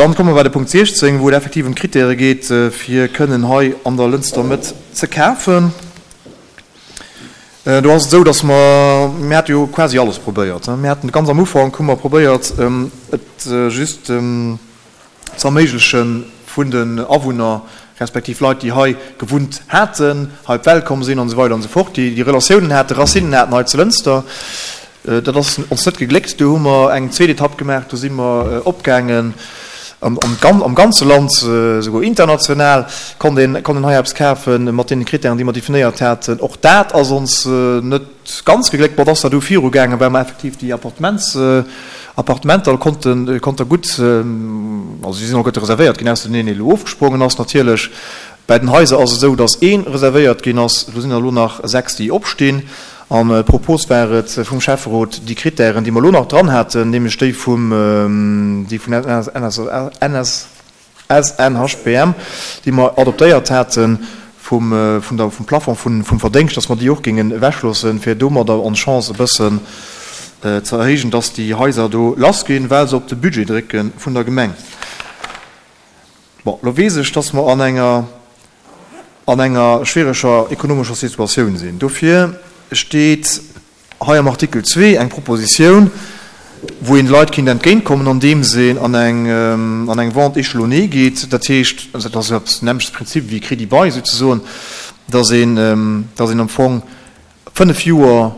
Dann komme mer bei de Punkt 16, wou et effektiv ëm d'Kritäre geet, fir kënnen hei an der Lënster Mëtt ze kafen. Do ass et esou, dass mer, mir hate jo quasi alles probéiert. Mir haten ganz am Ufank hu mer probéiert, et just ze erméigleche vun den Awunner, respektiv Leit, déi hei gewunnt haten, hei op d'Welt komm sinn an esou weider an esou fort, déi déi Relatiounen haten, Racinen haten hei zu Lënster. Dat ass ons net gegléckt. Do hu mer eng zweet Etapp gemaach, do si mer opgaangen am ganze Land, esouguer international konnt een konnt een hei eppes kafen mat deene Krittären, déi mer definéiert haten. Och dat ass ons net ganz gegléckt. Bon, et ass da du virugaangen, well mer effektiv déi Appartements, Appartementer konnten, konnte gutt, also si sinn alleguerte reservéiert ginn, ausser deen een, deen elo ofgesprongen ass natierlech. Bäi den Haiser ass et esou, datt ee reservéiert ginn ass. Do sinn der elo nach 6, déi opstinn. An d'Propos war et vum Schäfferot, déi Krittären, déi mer elo nach dran haten, nämlech déi vum, déi vun SNHBM, déi mer adoptéiert haten, vum, vun der, vum Plafond vun, vum Verdéngscht, dass mer déi och géingen ewechloossen, fir domadder ons Chance e bëssen ze erhéijen, dass déi Haiser do lassginn, well se op de Budget drécke vun der Gemeng. Bon, elo weess ech, dass mer an enger, an enger schwiereger ekonomescher Situatioun sinn. Dofir steet hei am Artikel 2 eng Propositioun, wou een de Leit kéint entgéintkommen, andeems een an eng, an eng Vente échelonnée geet. Dat heescht, dat ass eppes den nämmlechte Prinzip wéi Crédit-bail souzesoen, dass een, dass een am Fong fënnf Joer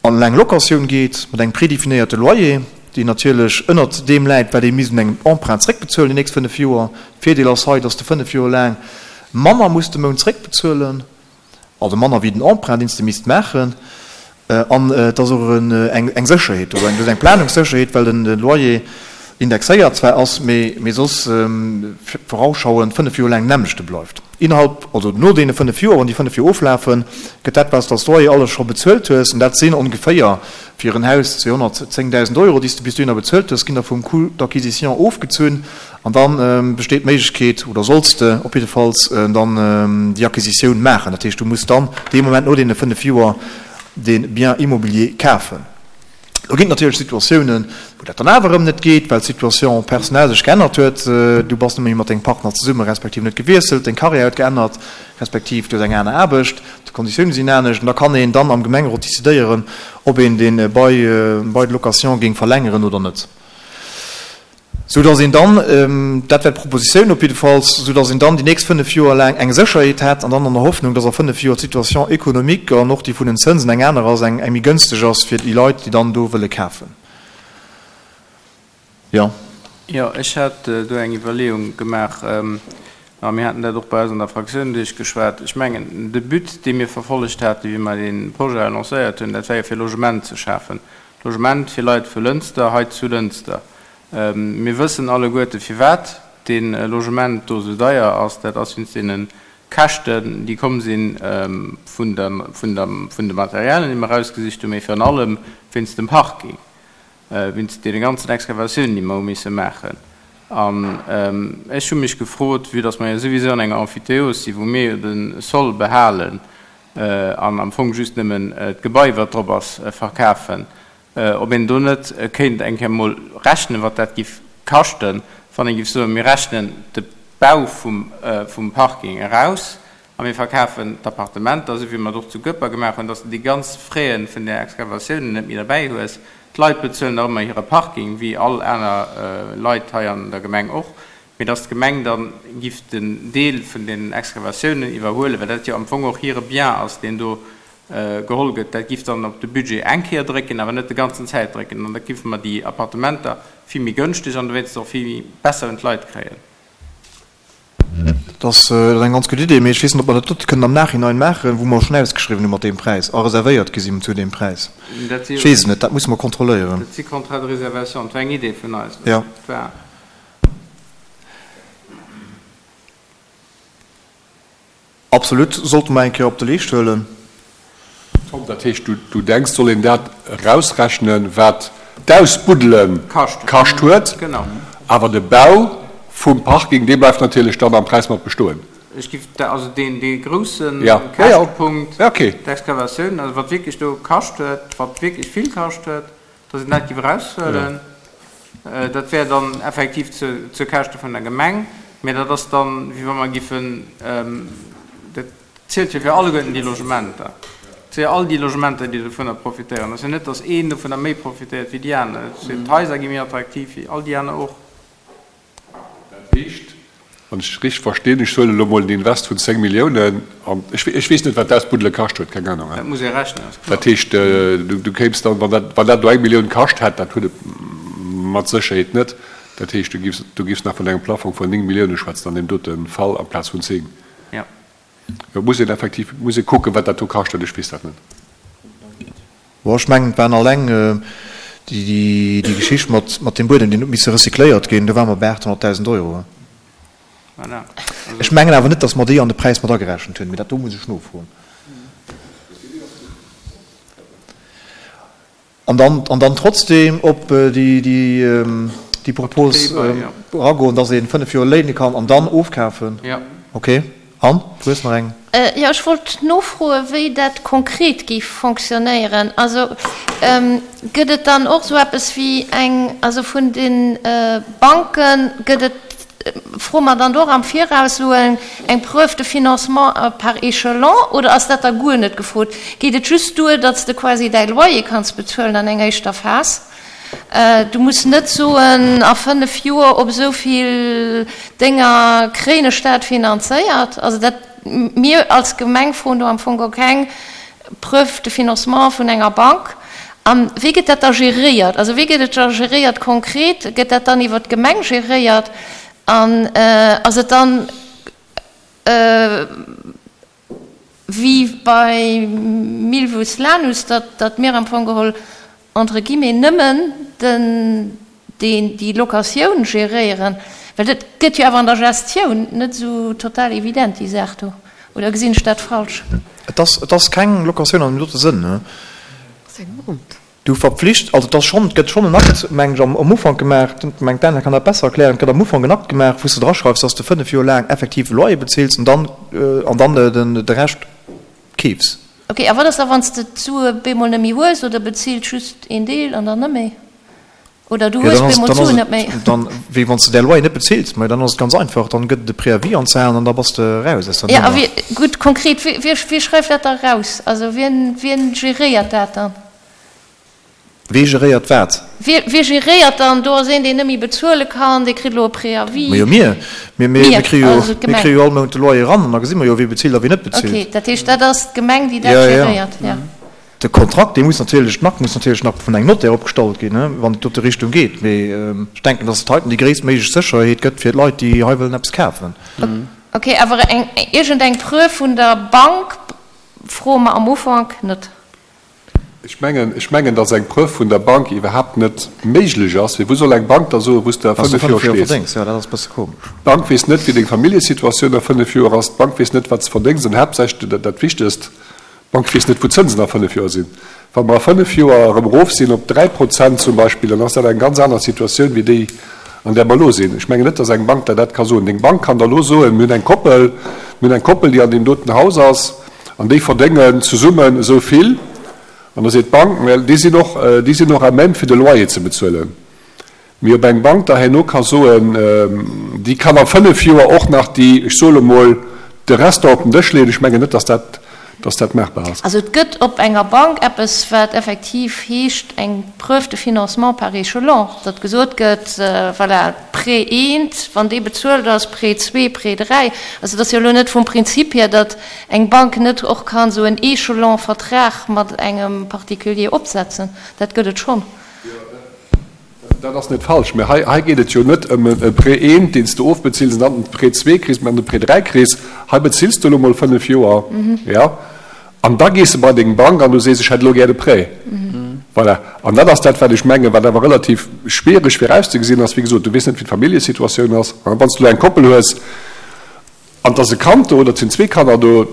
an eng Locatioun geet mat engem prédefinéierte Loyer, deen natierlech ënnert deem läit, wat ee misst un engem Emprunt zréckbezuelen déi nächst fënnf Joer. Virdeel ass hei, dass de fënnf Joer laang manner muss de Mount zréckbezuelen, also manner wéi den Emprunt, deen s de misst maachen. An et ass och eng Sécherheet do, eng Planungssécherheet, well de Loyer indexéiert zwar ass, mee soss vorausschauend fënnf Joer laang den nämmlechte bleift. Innerhalb, also no deene 5 Joer, wann déi 5 Joer oflafen, gëtt dat, wat s de als Loyer alles scho bezuelt hues, an dat sinn ongeféier fir en Haus 210.000 Euro, déi s de bis dohinner bezuelt hues, ginn da vum Coût d'acquisition ofgezunn an da besteet d'Méiglechkeet, oder solls de op jiddefalls dann déi Acquisitioun maachen. Dat heescht, du muss dann dee Moment no deene 5 Joer dee Bien immobilier kafen. Lo ginn et natierlech Situatiounen, wou dat dann awer erëm net geet, well d'Situation personnelle sech geännert huet. Du bass net méi mat dengem Partner zesummen, respektiv en huet gewiesselt, deng Karriär huet geännert, respektiv du hues eng aner Aarbecht, d'Konditioune sinn anescht. An da kann een dann am Gemengerot decidéieren, ob een dee Bail de location géing verlängeren oder net. Sou dass een dann, dat wär d'Propositioun op jiddefalls, sou dass een dann déi nächst fënnf Joer laang eng Sécherheet hätt an dann an der Hoffnung, dass a fënnf Joer d'Situation économique an och déi vun den Zënsen eng aner ass, eng méi gënsteg ass fir déi Leit, déi dann do wëlle kafen. Jo. Jo, ech hat do eng Iwwerleeung gemaach a mir haten dat och bei eis an der Fraktioun duerchgeschwat. Ech mengen, de But, dee mir verfollegt haten, wéi mer dee Projet lancéiert hunn, dat war jo fir Logement ze schafen, Logement fir Leit vu Lënster hei zu Lënster. Mir wëssen alleguerte firwat dee Logement do esou deier ass. Dat ass wéinst deene Käschten, déi komm si vun de Materialien, déi mer erausgesicht hunn, mee virun allem wéinst dem Parking, wéinst deene ganzen Excavatiounen, déi mer hu misse maachen. An ech hu mech gefrot, vue dass mer jo souwisou an enger Emphytéose sinn, wou mir jo de Sol behalen an am Fong just nëmmen d'Gebai, wat drop ass, verkafen, ob een do net kéint eng Kéier emol rechnen, wat dat giff kaschten, wann ee giff soen, mir rechnen de Bau vum Parking eraus a mir verkafen d'Appartementer, esou wéi mer et och zu Goeper gemaach hunn, dass de déi ganz Frais vun der Excavatioun net méi derbäi hues. D'Leit bezuelen nach ëmmer hire Parking, wéi all aner Leit hei an der Gemeng och, mee dass d'Gemeng da giff den Deel vun den Excavatiounen iwwerhuelen, well dat jo am Fong och hire Bien ass, deen do geholl gëtt, dat giff dann op de Budget eng Kéier drécken, awer net de ganzen Zäit drécken, an da giffe mer déi Appartementer vill méi gënschteg an dowéinst och vill méi besser un d'Leit kréien. Dat ass eng ganz gutt Idee, mee ech weess net, ob mer dat dote kënnen am Nachhinein maachen, wou mer schonn ausgeschriwwen hu mat deem Präis a reservéiert gi sinn zu deem Präis. Ech weess et net, dat musse mer kontrolléieren. Dat si Contrats de réservation, dat war eng Idee vun eis. Jo. Absolut, sollte mer eng Kéier op de Leescht huelen. Tom, dat heescht, du denks, soll een dat erausrechnen, wat d'Ausbuddele kascht huet, awer de Bau vum Parking, dee bleift natierlech dann am Präis mat bestoen. Ech giff also deen, dee grousse Käschtepunkt, d'Excavatioun, also wat wierklech do kascht huet, wat wierklech vill kascht huet, datt een dat giff eraushuelen. Dat wär dann effektiv zu Käschte vun der Gemeng, mä dat ass dann, wéi wa mer giffen, dat zielt jo fir alleguerten déi Logementer, fir all déi Logementer, déi dovunner profitéieren. Et ass jo net, datt een dovunner méi profitéiert wéi déi aner. D'Haiser gi méi attraktiv wéi all déi aner och. Dat heescht, wann ech richteg verstinn, ech huelen elo mol en Invest vun 10 Milliounen an ech weess net, wat d'Ausbuddele kascht huet, keng Anung. Dat muss ee rechnen, ass kloer. Dat heescht, du kéims dann, wann dat, wann dat elo eng Millioun kascht hätt, dat huet et mat Sécherheet net, dat heescht, du giffs, du giffs nach vun engem Plafong vun 9 Millioune schwätzen an deem dote Fall amplaz vun 10. Jo. Jo, muss een effektiv, muss ee kucken, wat dat do kascht huet, ech weess dat net. Bon, ech mengen, et waren alleng déi Geschicht mat deem Buedem, deen huet misse recycléiert ginn, do ware mer bei 800.000 Euro. Voilà. Ech mengen awer net, datt mer déi an de Präis mat agerechent hunn, mee dat do muss ech nofroen. An dann, an dann trotzdem op déi, déi, déi Propos eragoen, dass ee 5 Joer léine kann an dann ofkafen? Jo. Okay. Anne, du hues nach eng. Jo, ech wollt nofroen, wéi dat konkret géif fonctionnéieren. Also gëtt et dann och esou eppes wéi eng, also vun de Banke gëtt et, Froe mer dann do och am Viraus elo eng Preuve de financement par échelon oder ass dat da guer net gefrot? Geet et just duer, datt s de quasi däi Loyer kanns bezuelen an enger éischter Phas? Du muss net soen, a 5 Joer op esou vill Dénger kréien ech dat finanzéiert. Also dat, mir als Gemeng froen do am Fong geholl keng Preuve de financement vun enger Bank. A wéi gëtt dat da geréiert? Also wéi gëtt et da geréiert konkret? Gëtt dat dann iwwer d'Gemeng geréiert? An ass et dann wéi bei Milvus Lanus, datt mir am Fong geholl entre guillemets nëmmen den, deen déi Locatioun geréieren? Well dat gëtt jo awer an der Gestioun net esou total evident, déi Saach do. Oder gesinn ech dat falsch? Et ass, et ass keng Locatioun an deem dote Sënn, ne? Du verpflicht, also et ass schonn, et gëtt schonn en Akt, meng ech, am Ufank gemaach, ech meng d'Anna kann dat besser erklären, et gëtt am Ufank en Akt gemaach, wou s de draschreifs, dass de 5 Joer laang effektiv e Loyer bezills an dann, an dann den, de Rescht keefs. Ok, a wat ass da wann s de d'Sue bemol net méi hues oder bezills just een Deel an dann net méi? Oder du hues bemol d'Suen net méi. Dann, wéi wann s de däi Loyer net bezills, ma dann ass et ganz einfach, dann gëtt et e Préavis anzehalen an da bass de raus aus der Nummer. Ja, a wie, gutt, konkret, wie, wie, wie schreift dat da raus? Also wien, wien geréiert dat dann? Wee geréiert wat? Wie, wie geréiert dann? Do ass een, deen net méi bezuele kann, dee kritt elo e Préavis. Ma jo, mir. Mir, mir, mir kréie jo, mir kréie jo all Mount de Loyer eran an da gesi mer jo, wie bezilt a wie net bezilt. Ok, dat heescht, dat ass d'Gemeng, déi dat geréiert, ja. De Kontrakt, dee muss natierlech, den Akt muss natierlech nach vun engem Notaire opgestallt ginn, wann et dote Richtung geet. Mee ech denken, dass et heiten déi gréisstméiglech Sécherheet gëtt fir d'Leit, déi hei wëllen eppes kafen. Ok, awer eng, iergendeng Preuve vun der Bank froe mer am Ufank net. Ech mengen, ech mengen, dass eng Preuve vun der Bank iwwerhaapt net méiglech ass. Well wou soll eng Bank da soen, wou s de a 5 Joer stees? Jo, dat ass e bësse komesch. D'Bank weess net, wéi deng Familljesituatioun a 5 Joer ass. D'Bank weess net, wat s de verdéngs. An haaptsächlech, dat Wichtegst, D'Bank weess net, wou d'Zënsen a 5 Joer sinn. Wa mer a 5 Joer erëm erof sinn op 3 Prozent zum Beispill, dann ass dat eng ganz aner Situatioun wéi déi, an där mer elo sinn. Ech mengen net, datt eng Bank der dat ka soen. Deng Bank kann der elo soen, mir hunn eng Koppel, mir hunn eng Koppel, déi an deem doten Haus ass an déi verdéngen zesummen esou vill. An da seet d'Bank, mä déi sinn och, déi sinn och à même fir de Loyer ze bezuelen. Mee ob eng Bank da herno ka soen, déi kann a 5 Joer och nach déi, ech soe lo mol, de Restaurant op den Dësch leeën, ech mengen net, dass dat, dass dat maachbar ass. Also et gëtt op enger Bank eppes, wat effektiv heescht eng Preuve de financement par échelon, datt gesot gëtt, voilà, Prêt eent, wann dee bezuelt ass, Prêt zwee, Prêt dräi. Also et ass jo elo net vum Prinzip hier, datt eng Bank net och kann esou en Échelon-Vertrag mat engem Particulier opsetzen. Dat gëtt et schonn. Dat ass net falsch, mä hei, hei geet et jo net ëm e Prêt eent, deen s de ofbezills an dann den Prêt zwee kriss, mä an de Prêt dräi kriss. Hei bezills de elo mol 5 Joer, jo, an da gees de bei deng Bank an du sees, ech hätt elo gär de Prêt. Voilà. An dat ass dat, wat ech mengen, wat awer relativ schwiereg virauszegesinn ass. Wéi gesot, du weess net, wéi d'Familljesituatioun ass. Wann s de elo eng Koppel hues an et ass e Kand do oder et sinn zwee Kanner do,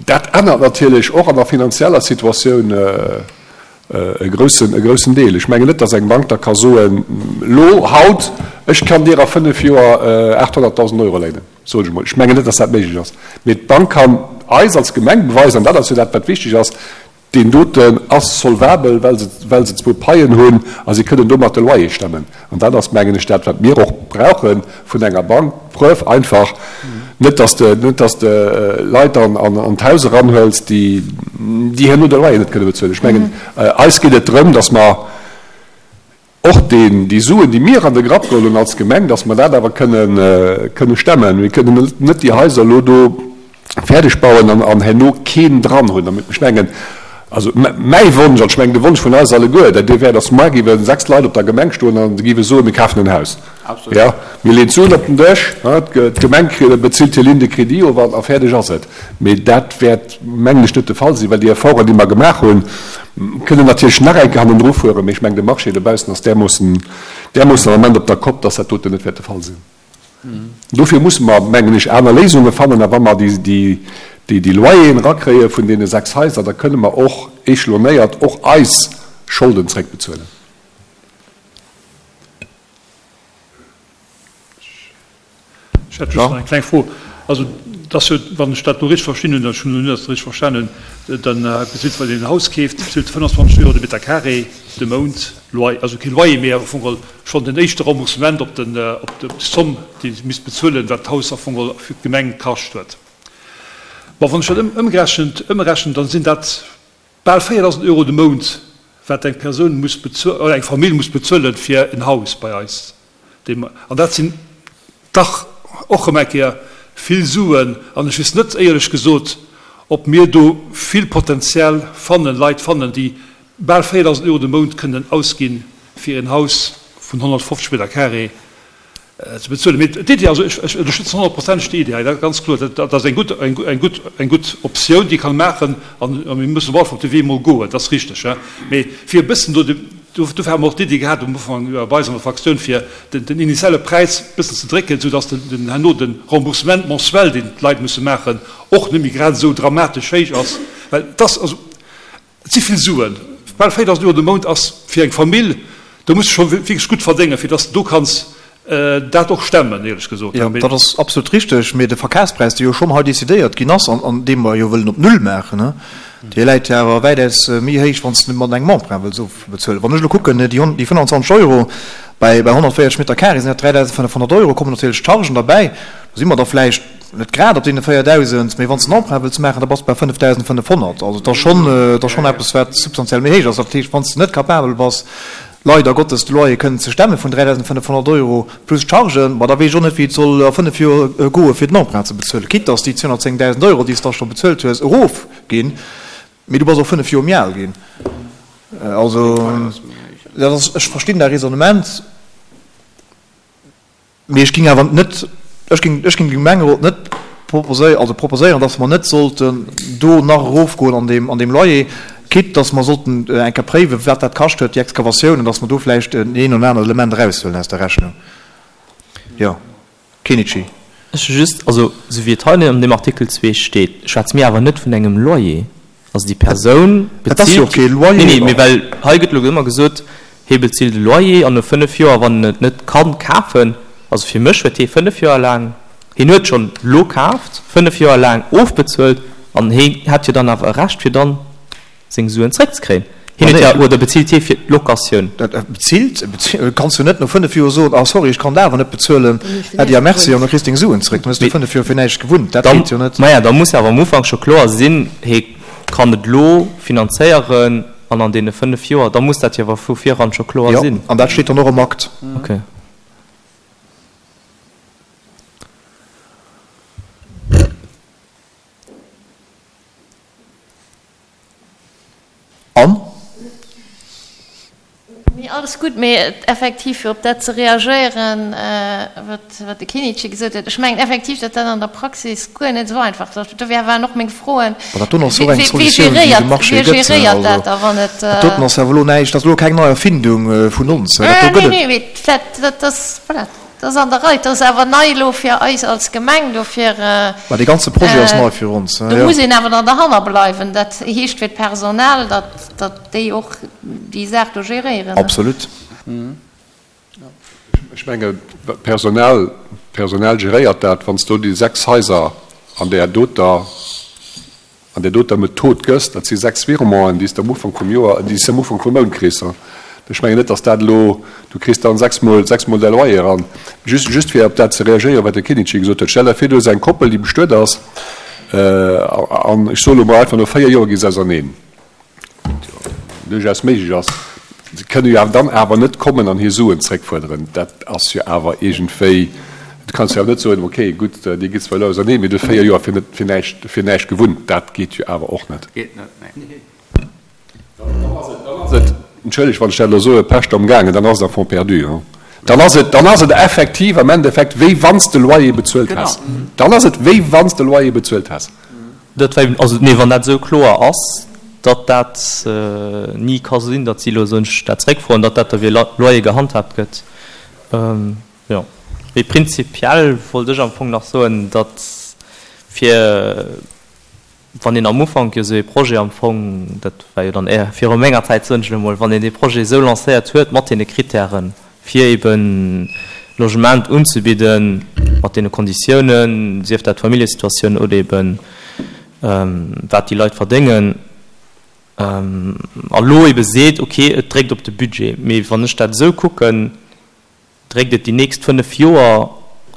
dat ännert natierlech och an der finanzieller Situatioun E groussen, e groussen Deel. Ech mengen net, datt eng Bank da ka soen, elo, haut, ech kann dir a 5 Joer 800.000 Euro léinen, soen ech emol. Ech mengen net, datt dat méiglech ass. Mee d'Bank kann eis als Gemeng beweisen, an dat ass jo dat, wat wichteg ass, Deen doten ass solvabel, well se, well se zwou Paien hunn a si kënnen domat de Loyer stemmen. An dat ass, mengen ech, dat, wat mir och brauche vun enger Bank, d'Preuve einfach, net dass de, net dass de Leit an, an, an d'Haus eranhuels, déi, déi herno de Loyer net kënne bezuelen. Ech mengen, eis geet et drëm, dass mer, Och deen, déi Suen, déi mir an de Grapp geholl hunn als Gemeng, dass mer dat awer kënnen, kënne stemmen. Mir kënnen net déi Haiser elo do fäerdeg bauen an, an herno keen dran hunn. Ech mengen, also mäi Wonsch, an ech mengen de Wonsch vun eis alleguer, dat dee wär, dass muar géiwe 6 Leit op der Gemeng stoen a géiwe soen, mir kafen en Haus. Jo, mir leeën d'Suen op den Dësch, d'Gemeng bezilt hir Ligne de crédit of a fäerdeg ass et. Mee dat wäert, mengen ech, net de Fall sinn, well déi Efforten, déi mer gemaach hunn, kënnen natierlech nach eng Kéier hannendru fueren, mee ech mengen, de Marché dobaussen ass därmoossen, därmoossen am Ament op der Kopp, dass dat doten net wäert de Fall sinn. Dofir musse mer, mengen ech, aner Léisunge fannen. A wa mer déi, déi, déi Loyeren erakréie vun deene 6 Haiser, da kënne mer och échelonnéiert och eis Scholden zréckbezuelen. Ech hätt just nach eng kleng Fro. Also, et ass jo, wann ech dat elo richteg verstinn hunn, ech hunn elo net richteg verstanen, dann bezilt, wann een en Haus keeft, bezilt e 25 Euro de Meter carré de Mount Loyer, also kee Loyer, mee am Fong geholl schonn den éischte Remboursement op den, op d'Zomm, déi se misst bezuelen, wat d'Haus am Fong geholl fir d'Gemeng kascht huet. Bon, wann ech dat ëmgerechent, ëmrechnen, dann sinn dat Bal 4.000 Euro de Mount, wat eng Persoun muss bezuelen, oder eng Famill muss bezuelen fir en Haus bei eis. An dat sinn dach och erëm eng Kéier vill Suen. An ech weess net, éierlech gesot, ob mir do vill potenziell fannen, Leit fannen, déi bal 4.000 Euro de Mount kënnen ausginn, fir en Haus vun 150 Meter carré ze bezuelen. Mee d'Iddi, also ech ënnerstëtzen honnertprozenteg déi Iddi hei, dat ganz kloer. Dat ass eng gutt, eng gutt, eng gutt Optioun, déi kann maachen an mir mussen op alle Fall op de Wee emol goen, dat ass richteg. Mee fir e bëssen do de, dofir hu mer och d'Iddi gehat um Ufank bei eis an der Fraktioun, fir den, den initiale Präis e bëssen ze drécken, soudass den, den herno de Remboursement mensuel, deen d'Leit musse maachen, och net méi grad esou dramatesch héich ass. Well et ass, also Et si vill Suen. Bal 4.000 Euro de Mount ass fir eng Famill, do muss de scho wierklech gutt verdéngen, fir dass de do kanns dat och stemmen, éierlech gesot. Jo, dat ass absolut richteg. Mee de Verkafspräis, dee jo schonn hei decidéiert ginn ass an dee mer jo wëllen op null maachen, dee läit jo awer wäitaus méi héich, wann s de mat engem Emprunt wëlls ofbezuelen. Wann ech elo kucken, déi 25 Euro bei 140 Meter carré sinn dat 3.500 Euro, kommen natierlech d'Chargen derbäi, do si mer da vläicht, Net grad op deene 4.000, mee wann s de en Emprunt wëlls maachen, da bass de bei 5.500. Also et ass schonn, et ass schonn eppes, wat substantiell méi héich ass. Dat heescht, wann s de net capabel bass, leider Gottes de Loyer kënnen ze stemme vun 3.500 Euro plus Chargen, ma da weess ech och net, wéi et soll a fënnef Joer goe fir den Emprunt ze bezuelen, quitte dass déi 210.000 Euro, déi s de da scho bezuelt hues, erofginn, mee du bass och fënnef Joer méi al ginn. Also dat ass, ech verstinn däi Raisonnement. Mee ech géing awer net, ech géing, ech géing dem Gemengerot net proposéieren, also proposéieren, dass mer net sollten do nach erofgoen an deem, an deem Loyer, quitte dass mer sollten eng Kéier préiwen, wat dat kascht huet, déi Excavatioun, an dass mer do vläicht en een oder anert Element eraushuelen aus der Rechnung. Jo. Kenichi. Ech hu just, also esou wéi et hei an deem Artikel 2 steet, schwätze mir awer net vun engem Loyer. Also déi Persoun Et ass jo bezilt, kee Loyer. nee, nee, mee well hei gëtt elo ëmmer gesot, hie bezilt e Loyer an no 5 Joer, wann en et net kann kafen, also fir mech huet hie 5 Joer laang, hien huet schonn lo kaaft, 5 Joer laang ofbezuelt an hie hätt jo dann awer e Recht fir dann seng Suen zréckzekréien. Hien huet jo, oder bezilt hie fir d'Locatioun? Bezilt? Kanns du net no 5 Joer soen, ah sorry, ech kann dat awer net bezuelen, Äddi a Merci, an da kriss deng Suen zréck. Dann hues du 5 Joer fir näischt gewunnt. Dat geet jo net. Maja, da muss awer am Ufank scho kloer sinn, hie kann et elo finanzéieren an an deene 5 Joer, da muss dat jo awer vu viran scho kloer sinn. Jo, an dat steet dann och am Akt. Okay. An? Nee, alles gutt, mee effektiv, fir op dat ze reagéieren, wat, wat de Kinichi gesot huet, ech mengen effektiv, datt dat an der Praxis guer net esou einfach ass. Dofir waren och meng Froen, Ma dat doen ass och eng wee Solutioun, déi de geréiert, Marché wee gëtt. geréiert Also, dat da, wann et. dat doten ass awer elo näischt, dat ass elo keng nei Erfindung vun ons. Dat do Nee, gëtt et. nee, mee dat, dat ass, voilà. Dat ass an der Rei. Dat ass awer nei elo fir eis als Gemeng. Dofir. Mä dee ganze Projet ass nei fir ons. Do muss een awer dann derhanner bleiwen. Dat heescht fir d'Personal, datt, datt déi och déi Saach do geréieren. Absolut. Ech mengen, d'Personal, d'Personal geréiert dat. Wann s du déi 6 Haiser an där doter. An där doter Method gëss, dat si 6 Virementen, déi s de am Ufank vum Joer, déi s de am Ufank vum Mount kriss. Ech mengen net, datt dat elo, du kriss dann sechsmol, sechsmol däi Loyer eran. Just, just fir op dat ze reagéieren, wat de Kinnici gesot huet, Stell der vir, du hues eng Koppel, déi bestuet ass, an ech soe lo mol einfach, no 4 Joer gi se auserneen. Duerchaus méiglech ass. Se kënne jo awer dann awer net kommen an hir Suen zréckfuerderen. Dat ass jo awer iergendwéi, du kanns jo awer net soen, okay, gutt, dir gitt zwar elo auserneen, mee dir hutt 4 Joer fir net, fir näischt, fir näischt gewunnt. Dat geet jo awer och net. Geet net, nee. Dann ass et, dann ass et, entschëllegt, wann ech dat elo soen, Pescht am gaangen, dann ass et à fonds perdu. Dann ass et, dann ass et effektiv am Endeffekt, wéi wann s de Loyer bezuelt häss. Dann ass et, wéi wann s de Loyer bezuelt häss. Dat war eben, also nee, wann dat esou kloer ass, datt dat ni ka sinn, datt si elo soen, ech dat zréckfroen, datt dat da wéi e Loyer gehandhaabt gëtt, jo. Mee prinzipiell wollt ech am Fong nach soen, datt fir, wann een am Ufank jo esou ee Projet am Fong, dat war jo dann éier viru menger Zäit, soen ech elo mol, wann een dee Projet esou lancéiert huet mat deene Kritären, fir eben Logement unzebidden, mat deene Konditiounen, sief dat d'Familljesituatioun oder eben wat déi Leit verdéngen, a lo ebe seet, ok, et dréckt op de Budget. Mee wann ech dat esou kucken, dréckt et déi nächst 5 Joer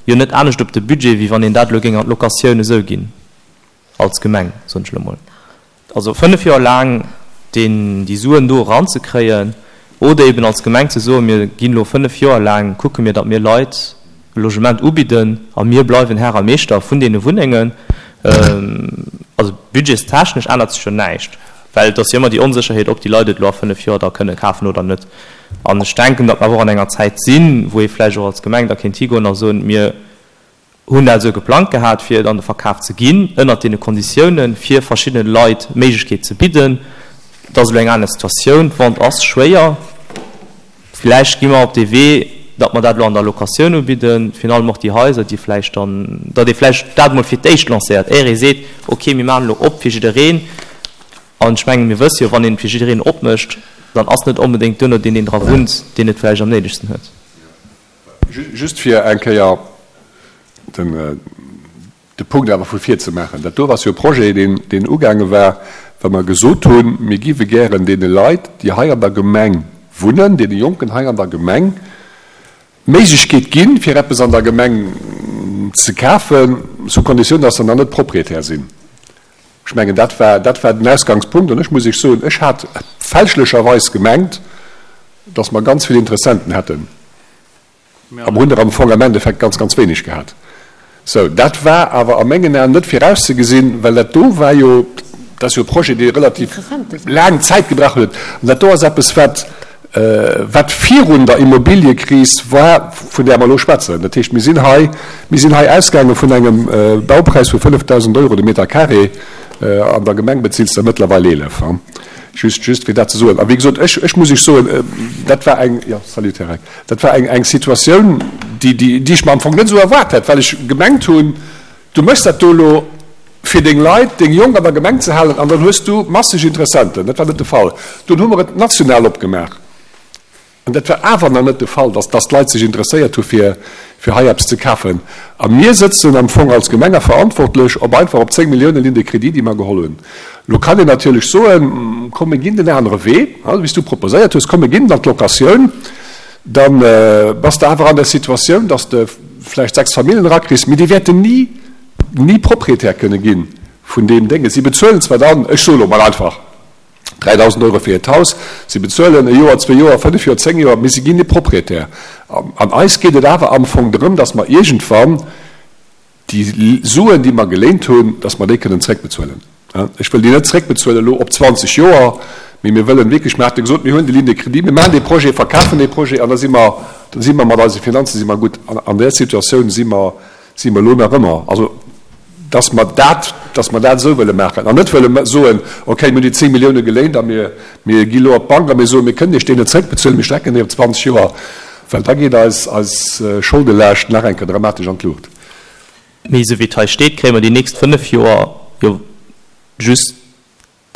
jo net anescht op de Budget, wéi wann een dat elo géing an d'Locatioun esou ginn. Als Gemeng, soen ech elo mol. Also 5 Joer laang deen, déi Suen do eranzekréien oder eben als Gemeng ze soen, mir ginn elo 5 Joer laang, kucke mir, datt mir Leit e Logement ubidden a mir bleiwen Här a Meeschter vun deene Wunnengen. Also budgetstechnesch ännert sech jo näischt, well et ass jo ëmmer déi Onsécherheet, ob déi Leit et elo a 5 Joer da kënne kafen oder net. An ech denken, datt mer awer och an enger Zäit sinn, wou ee vläicht och als Gemeng da kéint higoen a soen, mir hunn dat esou geplangt gehat, fir et an de Verkaf ze ginn, ënnert deene Konditiounen, fir verschiddene Leit d'Méiglechkeet ze bidden. Et ass elo eng aner Situatioun, d'Vente ass schwéier. Vläicht gi mer op dee Wee, datt mer dat elo an der Locatioun ubidden, virun allem och déi Haiser, déi vläicht dann, datt ee vläicht dat emol fir d'éischt lancéiert, éier ee seet, okay, mir maachen elo op fir jiddereen. An ech mengen, mir wësse jo, wann een et fir jiddereen opmécht, dann ass net onbedéngt duerno deen, deen dra wunnt, deen et vläicht am néidegsten huet. Just fir eng Kéier de Punkt awer vu vir ze maachen, Dat do ass jo e Projet, deen ugaange war, well mer gesot hunn, mir géife gären deene Leit, déi hei an der Gemeng wunnen, deene Jonken hei an der Gemeng, d'Méiglechkeet ginn, fir eppes an der Gemeng ze kafen, sous condition, dass se dann net Propriétaire sinn. Ech mengen, dat war, dat war den Ausgangspunkt. An ech muss Iech soen, ech hat fälschlecherweis gemengt, dass mer ganz vill Interessenten hätten. A mer hunn der am Fong am Endeffekt ganz, ganz wéineg gehat. Sou, dat war awer a mengen Aen net virauszegesinn, well dat do war jo, dat ass jo e Projet, dee relativ laang Zäit gebraucht huet. An dat do ass eppes, wat, wat virun der Immobiliëkris war, vun där mer elo schwätzen. Dat heescht, mir sinn hei, mir sinn hei ausgaange vun engem Baupräis vu 5.000 Euro de Meter carré. An der Gemeng bezills de mëttlerweil 11. Just, just fir dat ze soen. A wéi gesot, ech, ech muss Iech soen, dat war eng, jo, salut Här Reck, dat war eng, eng Situatioun, déi, déi, déi ech mer am Fong net esou erwaart hätt, well ech gemengt hunn, du méchs dat do elo fir deng Leit, deng Jonk an der Gemeng ze halen an dann hues du masseg Interessenten. Dat war net de Fall. Dunn hu mer et national opgemaach an dat war awer nach net de Fall, dass, dass d'Leit sech interesséiert hu fir, fir hei eppes ze kafen. A mir sëtzen am Fong als Gemeng a verantwortlech op einfach op 10 Milliounen Ligne de crédit, déi mer geholl hunn. Elo kann een natierlech soen, komm mir ginn den anere Wee, wéi s du proposéiert hues, komm mir ginn an d'Locatioun. Da bass de awer an der Situatioun, dass de vläicht 6 Familljen erakriss, mee déi wäerten ni, ni Proprietär kënne gi vun deem Dénge. Si bezuelen zwar dann, ech soe lo mol einfach, 3.000 Euro fir hiert Haus, si bezuelen e Joer, zwee Joer, fënnef Joer, zéng Joer, mee si ginn ni Proprietär. An eis geet et awer am Fong drëm, dass mer iergendwann déi Suen, déi mer geléint hunn, dass mer déi kënnen zréckbezuelen. Ech wëll déi net zréckbezuelen elo op 20 Joer, mee mir wëllen wierklech, mir hate gesot, mir huelen déi Ligne de crédit, mir maachen dee Projet, verkafen dee Projet an da si mer, da si mer mat eise Finanze si mer gutt. An an där Situatioun si mer, si mer elo nach ëmmer. Also, dass mer dat, dass mer dat esou wëlle maachen an net wëlle soen, okay, mir hunn déi 10 Millioune geléint a mir, mir gi elo op d'Bank a mir soen, mir kënnen Iech déi net zréckbezuelen, mir strecken déi op 20 Joer, well da geet eis, eis Scholdelaascht nach eng Kéier dramatesch an d'Luucht. Mee esou wéi et hei steet, kréie mer déi nächst 5 Joer jo just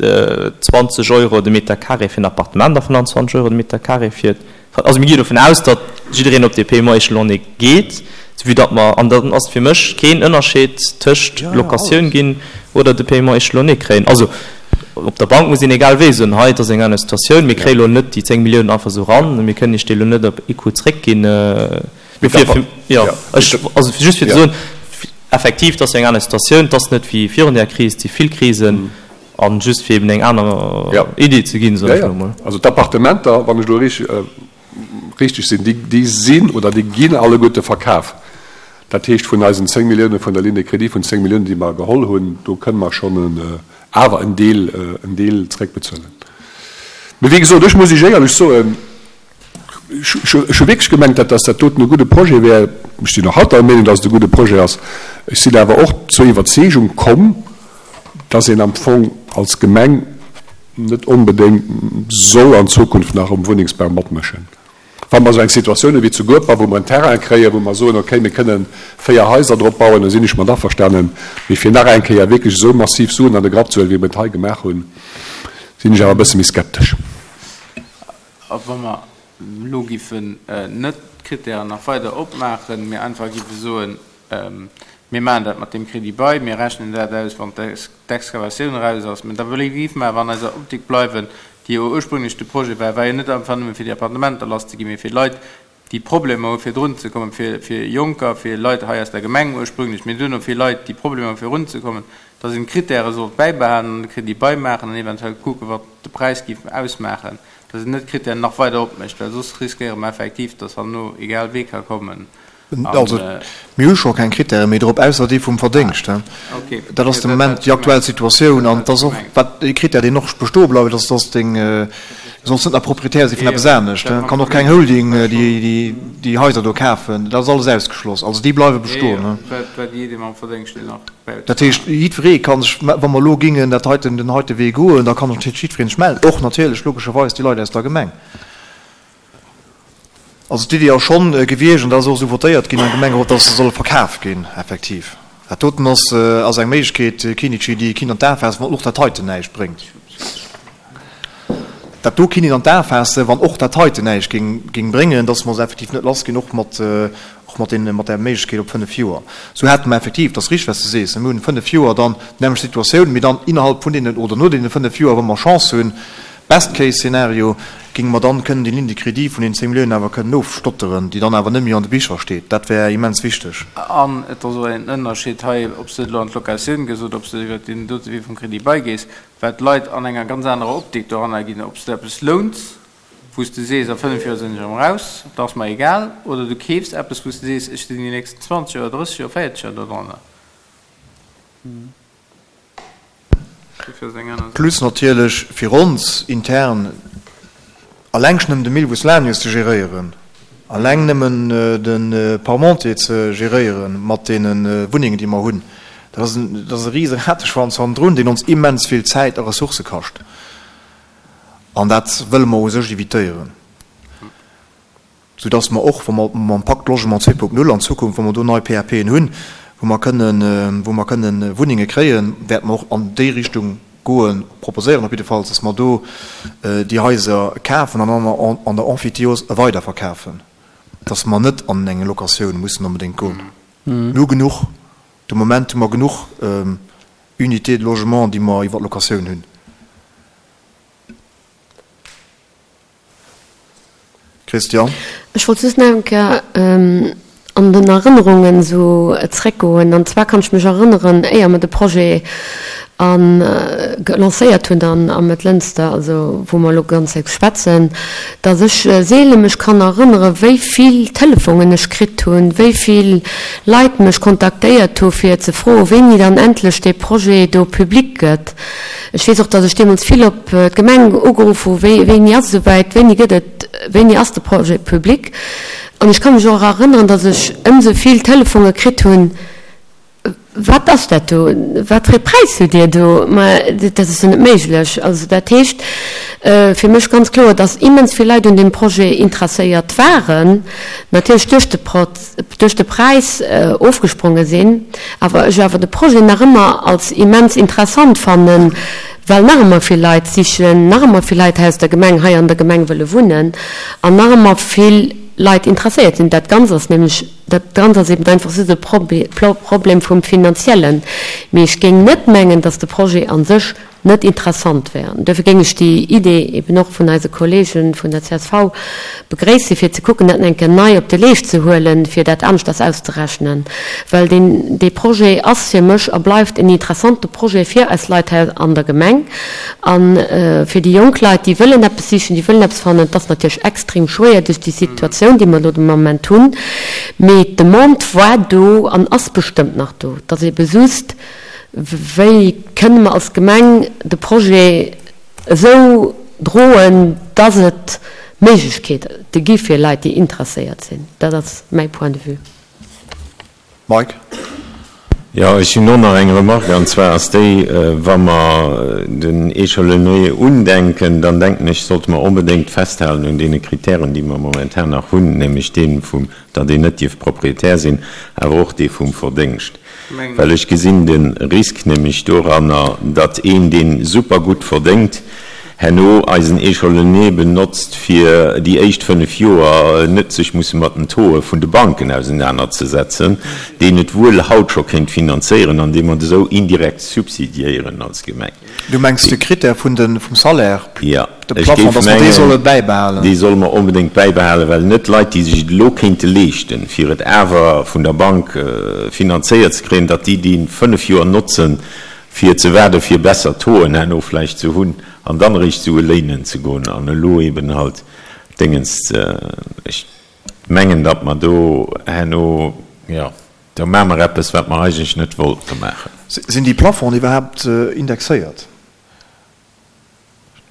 20 Euro de Meter carré fir en Appartement a 25 Euro de Meter carré fir, also mir gi dovun aus, datt jiddereen op dee Paiement échelonné geet. Vue datt mer, an dann ass fir mech keen Ënnerscheed tëscht Locatioun ginn oder de Paiement échelonné kréien. Also op der Bank muss een egal wéi soen, hei et ass eng aner Situatioun, mir kréie lo net déi 10 Milliounen einfach esou eran, mir kënnen Iech déi elo net op ee Coup zréckginn. Dofir, jo, ech, also just fir ze soen, effektiv, et ass eng aner Situatioun, et ass net wéi virun där Kris, et si vill Krisen, a just fir eben eng aner Idee ze ginn, soen ech elo mol. Also d'Appartementer, wann ech elo richteg sinn, déi sinn oder déi ginn alleguerte verkaf. Dat heescht, vun eisen 10 Milliounen, vun der Ligne de crédit vun 10 Milliounen, déi mer geholl hunn, do kënne mer schonn awer en Deel, en Deel zréckbezuelen. Mee wéi gesot, ech muss Iech éierlech soen, ech hu wierklech gemengt, dat dass dat doten e gudde Projet wär. Ech sinn och haut der Meenung, dass et e gudde Projet ass. Ech sinn awer och zur Iwwerzeegung komm, dass een am Fong als Gemeng net onbedéngt soll an Zukunft nach um Wunnengsbau matmëschen. Wa mer esou eng Situatioun hu wéi zu Gueper, wou mer en Terrain kréien, wou mer soen, okay, mir kënnen 4 Haiser drop bauen, da sinn ech mat averstanen. Mee fir nach eng Kéier wierklech esou massiv Suen an de Grapp ze huelen, wéi mer et hei gemaach hunn, sinn ech awer e bësse méi skeptesch. A wa mer elo giffen net d'Kritären nach weider opmaachen, mee einfach giffe soen, Mir maachen dat mat deem Crédit-bail, mir rechnen dat aus, wann d'Excavatioun eraus ass, mä da géife mer awer an eiser Optik bleiwen, déi jo ursprünglech de Projet war, war jo net einfach nëmme fir déi Appartementer lasszeginn, mee fir Leit, déi Problemer hu fir drunzekommen, fir Jonker, fir Leit hei aus der Gemeng ursprünglech, mee duerno fir Leit, déi Problemer hu fir erunzekommen, dass een d'Kritäre sollt bäibehalen an de Crédit-bail maachen an eventuell kucken, wat de Präis géif ausmaachen, dass een net d'Kritären nach weider opmécht, well soss riskéiere mer effektiv, dass herno egal wee ka kommen Also, mir hu scho keng Krittäre méi drop, ausser dee vum Verdéngscht. Dat ass de Moment déi aktuell Situatioun. An et ass och, wat e Krittär, deen och bestoe bleift, ass, dass deng, du solls net nach Proprietär si vun eppes anescht. Et kann och keng Holding déi Haiser do kafen. Dat ass alles ausgeschloss. Also déi bleiwe bestoen. Dat heescht, jiddweree ka sech, wa mer elo gingen dat heiten, den heite Wee goen, da kann sech natierlech jiddweree sech mellen, och natierlech logescherweis déi Leit aus der Gemeng. Also d'Iddi ass schonn gewiescht, an dat ass och esou votéiert ginn am Gemengerot, dass se solle verkaf ginn, effektiv. Dat doten ass ass eng Méiglechkeet, Kinnici, déi ee kinnt an d'A faassen, wann och dat heiten näischt bréngt. Dat do kinnt een an d'A faassen, wann och dat heiten näischt géing géing bréngen, dass mer se effektiv net lass ginn, och mat och mat deene mat där Méiglechkeet op 5 Joer. Esou hätte mer effektiv, dat ass richteg, wat s de sees, mir hunn 5 Joer dann d'nämmlecht Situatioun, mee dann innerhalb vun deenen oder no deene 5 Joer, wa mer Chance hunn, Best case Szenario, géinge mer dann kënnen déi Ligne de crédit vun den 10 Milliounen awer kënnen ofstotteren, déi dann awer net méi an de Bicher steet. Dat wär immens wichteg. An et ass och en Ënnerscheed hei, ob s de elo an d'Locatioun gees oder ob s de iwwert deen dote Wee vum Crédit bail gees, well d'Leit an enger ganz anerer Optik doranner ginn, ob s de eppes louns, wou s de sees, a 5 Joer sinn ech erëm eraus, dat ass mer egal, oder du keefs eppes, wou s de sees, ech sinn déi nächsten 20 Joer, 30 Joer, 40 Joer dodranner. Plus natierlech fir ons intern alleng schon nëmmen de Milvus Lanius ze geréieren, alleng nëmmen de Parmentier ze geréieren mat deene Wunnengen, déi mer hunn, dat ass en, dat ass e rise Rateschwanz hannendrun, deen ons immens vill Zäit a Ressourcë kascht. An dat wëlle mer u sech evitéieren. Soudass mer och, wa mer mam Pacte Logement 2.0 an Zukunft, wa mer do nei PAPen hunn, wou mer kënnen, wou mer kënnen Wunnenge kréien, wäerte mer och an déi Richtung goen, proposéieren op jiddefalls, dass mer do déi Haiser kafen an dann an der Emphytéose weiderverkafen, dass mer net an eng Locatioun mussen onbedéngt goen. Mir hu genuch, de Moment hu mer genuch Unités de logement, déi mer iwwer d'Locatioun hunn. Christian. Ech wollt just nach eng Kéier an den Erënnerungen esou zréckgoen. An zwar kann ech mech erënneren, éier mer de Projet a lancéiert hunn dann a Mëttlënster, also wou mer elo ganz zäit schwätzen, datt ech seele mech kann erënnere wéi vill Telefonen ech kritt hunn, wéi vill Leit mech kontaktéiert hu fir ze froen, wéini dann endlech dee Projet do public gëtt. Ech weess och, datt ech deemools vill op d'Gemeng ugeruff hu, wéi, wéini ass et esouwäit, wéini gëtt et, wéini ass de Projet public? An ech ka mech och erënneren, datt ech ëmsou vill Telefonge kritt hunn, Wat ass dat do? Wat fir ee Präis hutt Dir do? Ma dat ass jo net méiglech. Also dat heescht fir mech ganz kloer, datt immens vill Leit un deem Projet interesséiert waren, natierlech duerch de duerch de Präis ofgespronge sinn, awer ech awer de Projet nach ëmmer als immens interessant fannen, well nach ëmmer vill Leit sichen, nach ëmmer vill Leit hei aus der Gemeng hei an der Gemeng wëlle wunnen an nach ëmmer vill. Leit interesséiert sinn. Dat Ganzt ass nämlech, dat Ganzt ass eben einfach just e Problem vum Finanziellen. Mee ech géing net mengen, datt de Projet a sech net interessant wär. An duerfir géing ech déi Idee eben och vun eise Kollege vun der csv begréissen, fir ze kucken, dat eng Kéier nei op de Leescht ze huelen, fir dat aneschters auszerechnen. Well deen, dee Projet ass fir mech a bleift en interessante Projet fir eis Leit hei an der Gemeng a fir déi jonk Leit, déi wëllen eppes sichen, déi wëllen eppes fannen. Et ass natierlech extrem schwéier duerch déi Situatioun, déi mer elo de Moment hunn, mee d'Demande war do an ass bestëmmt nach do. Et ass ebe just, Wéi kënne mer als Gemeng de Projet esou droen, dass et Méiglechkeete gi fir Leit, déi interesséiert sinn? Dat ass mäi Point de vue. Mike? Jo, ech hunn och nach eng Remarque, an zwar ass déi, Wa mer den Échelonnier undenken, dann denken ech, sollte mer onbedéngt festhalen un deene Kritären, déi mer momentan nach hunn, nämlech dee vum, datt een net dierf Proprietär sinn, awer och dee vum Verdéngscht. Well ech gesinn de Risk nämlech doranner, datt een, dee super gutt verdéngt, herno eisen Échelonnier benotzt, fir déi éischt 5 Joer net sech musse mat den Tauxe vun de Banken ausenanerzesetzen, deen et wuel haut scho kéint finanzéieren, an dee mer esou indirekt subsidiéieren als Gemeng. Du mengs de Critère vun de vum Salaire, Jo, de ech Plafond, géif datt mer dee solle mengen, bäibehalen? dee solle mer onbedéngt bäibehalen, well net Leit, déi sech et elo kéinte leeschten, fir et awer vun der Bank finanzéiert ze kréien, datt déi déi 5 Joer notzen, fir ze waarden, fir besser Tauxen herno vläicht ze hunn an dann eréischt Sue léinen ze goen an elo eben halt Déngens ze. Ech mengen, datt mer do herno, jo, do maache mer eppes, wat mer eigentlech net wollte maachen. Sinn déi Plafonds iwwerhaapt indexéiert?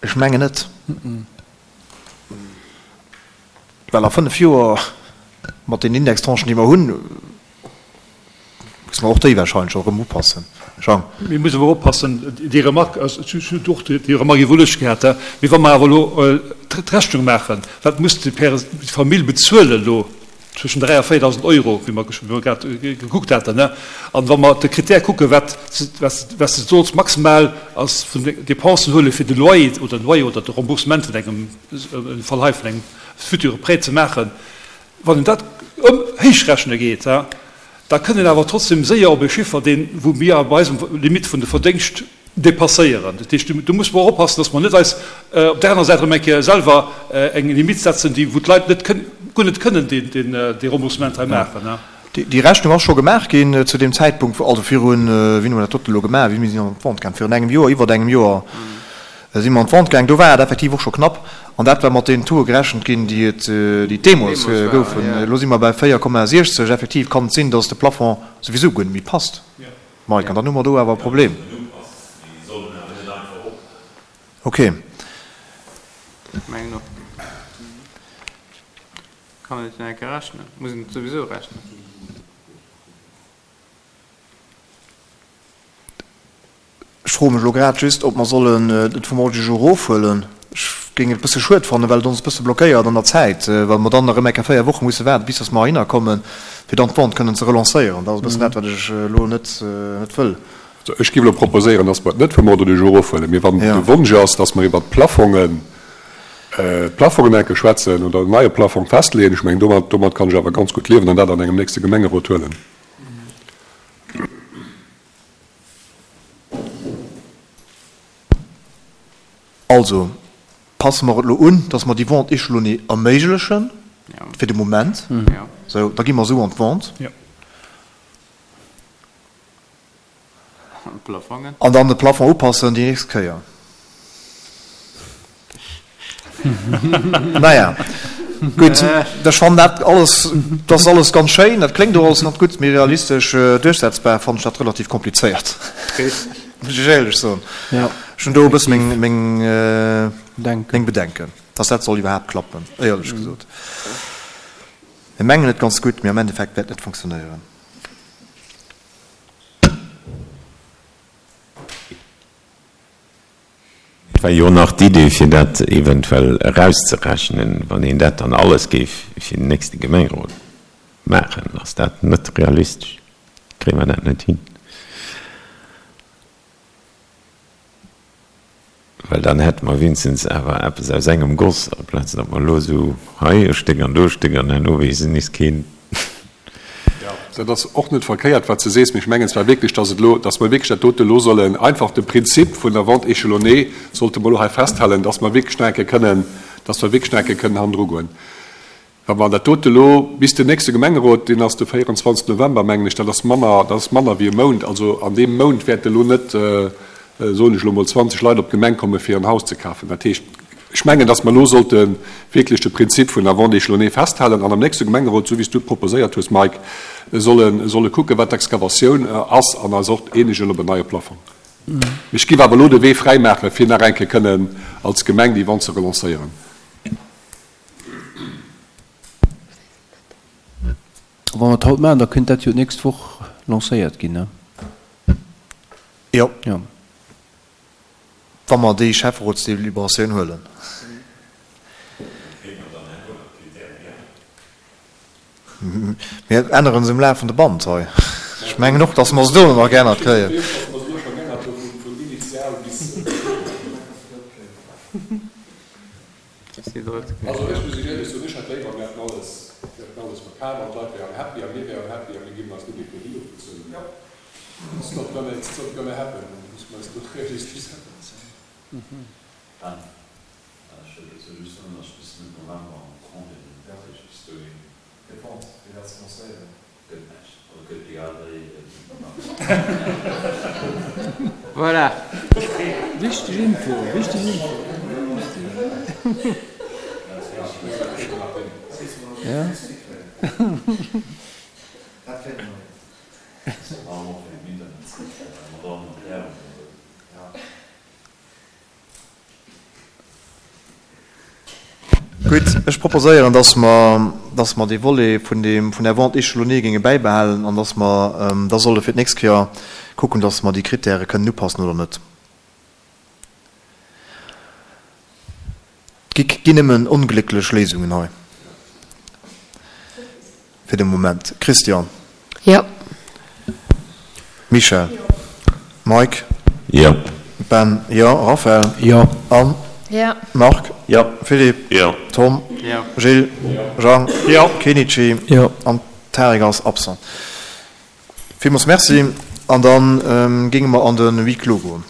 Ech mengen net. Well a 5 Joer, mat den Indextranchen, déi mer hunn, musse mer och déi wahrscheinlech och erëm upassen. Jean. Mir mussen awer oppassen, déi Remarque, ech hunn och déi Remarque iwwerluecht gehat, mee wa mer awer elo d'Rechnung maachen, wat muss déi Famill bezuelen elo, zwëschen 3 a 4.000 Euro, wéi mer grad gekuckt haten, an wa mer de Critère kucken, wat wat s de solls maximal als vun de Dépensen huele fir de Loyer oder den Loyer oder de Remboursement vun engem, am Fall hei vun engem future Prêt ze maachen, wann een dat ëm héichrechne geet, da kënnt een awer trotzdem séier op e Chiffer, deen, wou mir bei eisem Limite vun de Verdéngscht dépasséieren. Dat heescht, do musse mer och oppassen, dass mer net eis op där aner Säit erëm eng Kéier selwer eng Limite setzen, déi, wou d'Leit net kënnen, guer net kënnen dee Remboursement hei maachen. Déi Rechnung ass scho gemaach ginn zu deem Zäitpunkt, wou, also virun, wéini hu mer dat doten elo gemaach, wéini si mer an d'Vente gaang, virun engem Joer, iwwert engem Joer si mer an d'Vente gaang, do war et effektiv och scho knapp an dat war mat deenen Tauxe gerechent ginn, déi et, déi et deemools goufen. Elo si mer bei 4,60. Effektiv kann et sinn, dass de Plafond souwisou guer net méi passt. Mike, an dann hu mer do awer e Problem. Ok. Mengen och. Kann et jo eng Kéier rechnen. Muss een et souwisou rechnen. Ech froe mech elo grad just, ob mer sollen et vum Ordre du jour erofhuelen. Ech géing et e bësse schued fannen, well et ons e bësse blockéiert an der Zäit, well mer dann erëm eng Kéier 4 Woche musse waarden, bis dass mer heihinner kommen, fir dann d'Vente kënnen ze relancéieren. Dat ass e bëssen dat, wat ech elo net wëll. Also ech géif elo proposéieren, dass mer et net vum Ordre du jour erofhuelen, mee wann de Wonsch ass, dass mer iwwert d'Plafongen, d'Plafongen enke schwätzen oder en neie Plafong festleeën, ech mengen, domat, domat kann ech awer ganz gutt liewen an dat an engem nächste Gemengerot huelen. Also, passe mer et elo un, dass mer déi Vente échelonnée erméiglechen, fir de Moment. Sou, da gi mer esou an d'Vente. An dann de Plafond upassen déi nächst Kéier. Naja, gutt, ech fannen dat alles, dat ass alles ganz schéin, dat kléngt och alles ganz gutt, mee realistesch duerchsetzbar fannen ech dat relativ komplizéiert, muss ech éierlech soen. Ech hunn do e bësse meng, meng, meng Bedenken, dass dat soll iwwerhaapt klappen, éierlech gesot. Mir mengen et ganz gutt, mee am Endeffekt wäert et net funktionéieren. Et war jo nach d'Idee, fir dat eventuell erauszerechnen, wann een dat dann alles géif fir den nächste Gemengerot maachen. Ass dat net realistesch? Kréie mer dat net hin? Well dann hätte mer wéinstens awer eppes aus engem Goss, amplaz datt mer elo esou hei e Stéck an do e Stéck an herno weess nees keen. Jo, dat ass och net verkéiert, wat s de sees, mee ech mengen zwar wierklech, dass et elo, dass mer wierklech dat dote elo sollen einfach de Prinzip vun der Vente échelonnée sollte mer elo hei festhalen, dass mer wierklech nach eng Kéier kënnen, dass mer wierklech nach eng Kéier kënnen hannendru goen. Wa mer dat dote elo bis den nächste Gemengerot, deen ass de 24 November, mengen ech, dat ass manner, dat ass manner wéi e Mount, also an deem Mount wäerte elo net, soen ech elo emol, 20 Leit op d'Gemeng komme fir en Haus ze kafen. Dat heescht, ech mengen, datt mer elo sollte wierklech de Prinzip vun der Vente échelonnée festhalen an am nächste Gemengerot, esou wéi s du et proposéiert hues, Mike, solle, solle kucken, wat d'Excavatioun ass an eis och eenegen op en neie Plafong. Mee ech géif awer elo de Wee fräimaache fir nach eng Kéier kënnen als Gemeng déi Vente ze relancéieren. Wa mer et haut maachen, da kënnt dat jo d'nächst Woch lancéiert ginn, ne? Jo. Jo. Wa mer déi Schäfferotsdeliberatioun huelen. Mir änneren se um lafende Band hei. Ech mengen och, dass mer se dono nach geännert kréien. Also ech muss Iech éierlech soen, ech hätt léiwer, mir hätten alles, mir hätten alles verkaf an d'Leit wären happy a mir wären happy a mir géifen eis net méi Crédit ofbezuelen. It's not gonna, it's not gonna happen, muss mer eis do realistesch sinn. Ben, ech wëll dozou just soen, datt ech bis Mëtt November am Congé sinn. Dat heescht, bis dohin. Fir d'Vente, fir dat ze lancéieren. Gëtt näischt. Also gëtt egal wéi. Voilà. Wichteg Info, wichteg Info. Ja. Gutt, ech proposéieren, dass mer, dass mer dee Volet vun deem, vun der Vente échelonnée géinge bäibehalen an dass mer da solle fir d'nächst Kéier kucken, dass mer déi Kritäre kënnen upassen oder net. Et gi nëmmen onglécklech Léisungen hei fir de Moment. Christian. Jo. Michèle. Mike. Jo. Ben. Jo. Raphaël. Jo. Anne. Jo. Marc. Jo. Philippe. Jo. Tom. Jo. Gilles. Jo. Jean. Jo. Kenichi. Jo. An Tarik ass absent. Villmools Merci. An da géinge mer an de Huis clos goen.